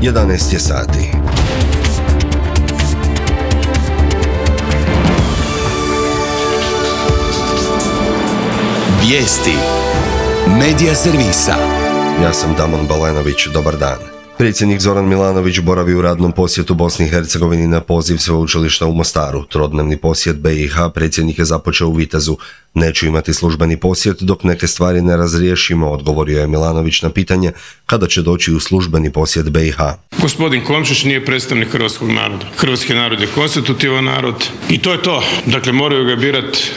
11 je sati. Vijesti Medija servisa. Ja sam Damon Balenović, dobar dan. Predsjednik Zoran Milanović boravi u radnom posjetu Bosni i Hercegovini na poziv Sveučilišta u Mostaru. Trodnevni posjet BiH predsjednik je započeo u Vitezu. Neću imati službeni posjet dok neke stvari ne razriješimo, odgovorio je Milanović na pitanje kada će doći u službeni posjet BiH. Gospodin Komšić nije predstavnik hrvatskog naroda. Hrvatski narod je konstitutivan narod i to je to. Dakle, moraju ga birati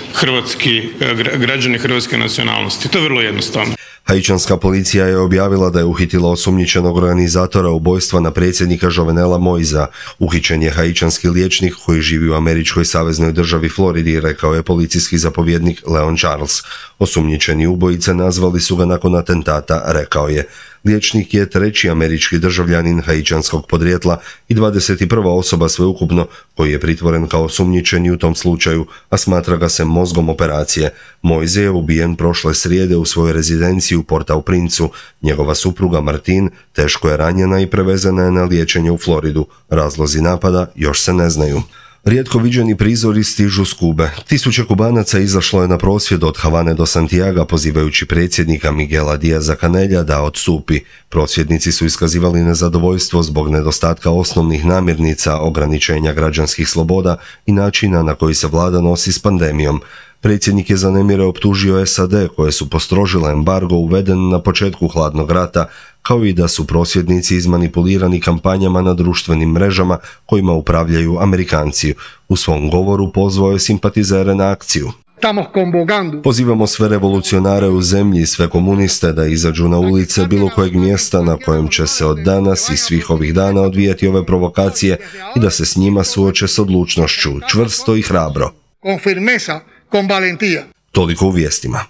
građani hrvatske nacionalnosti. To je vrlo jednostavno. Haičanska policija je objavila da je uhitila osumnjičenog organizatora ubojstva na predsjednika Jovenela Moisa. Uhićen je haičanski liječnik koji živi u američkoj saveznoj državi Floridi, rekao je policijski zapovjednik Leon Charles. Osumnjičeni ubojice nazvali su ga nakon atentata, rekao je. Liječnik je treći američki državljanin haičanskog podrijetla i 21. osoba sveukupno koji je pritvoren kao osumnjičeni u tom slučaju, a smatra ga se mozgom operacije. Moise je ubijen prošle srijede u svojoj rezidenciji u Port-au-Princu. Njegova supruga Martin teško je ranjena i prevezena je na liječenje u Floridu. Razlozi napada još se ne znaju. Rijetko viđeni prizori stižu s Kube. Tisuće Kubanaca izašlo je na prosvjed od Havane do Santiaga pozivajući predsjednika Miguela Díaza-Canella da odstupi. Prosvjednici su iskazivali nezadovoljstvo zbog nedostatka osnovnih namirnica, ograničenja građanskih sloboda i načina na koji se vlada nosi s pandemijom. Predsjednik je za nemire optužio SAD koje su postrožile embargo uveden na početku hladnog rata, kao i da su prosvjednici izmanipulirani kampanjama na društvenim mrežama kojima upravljaju Amerikanci. U svom govoru pozvao je simpatizere na akciju. Pozivamo sve revolucionare u zemlji i sve komuniste da izađu na ulice bilo kojeg mjesta na kojem će se od danas i svih ovih dana odvijati ove provokacije i da se s njima suoče s odlučnošću, čvrsto i hrabro. Toliko u vijestima.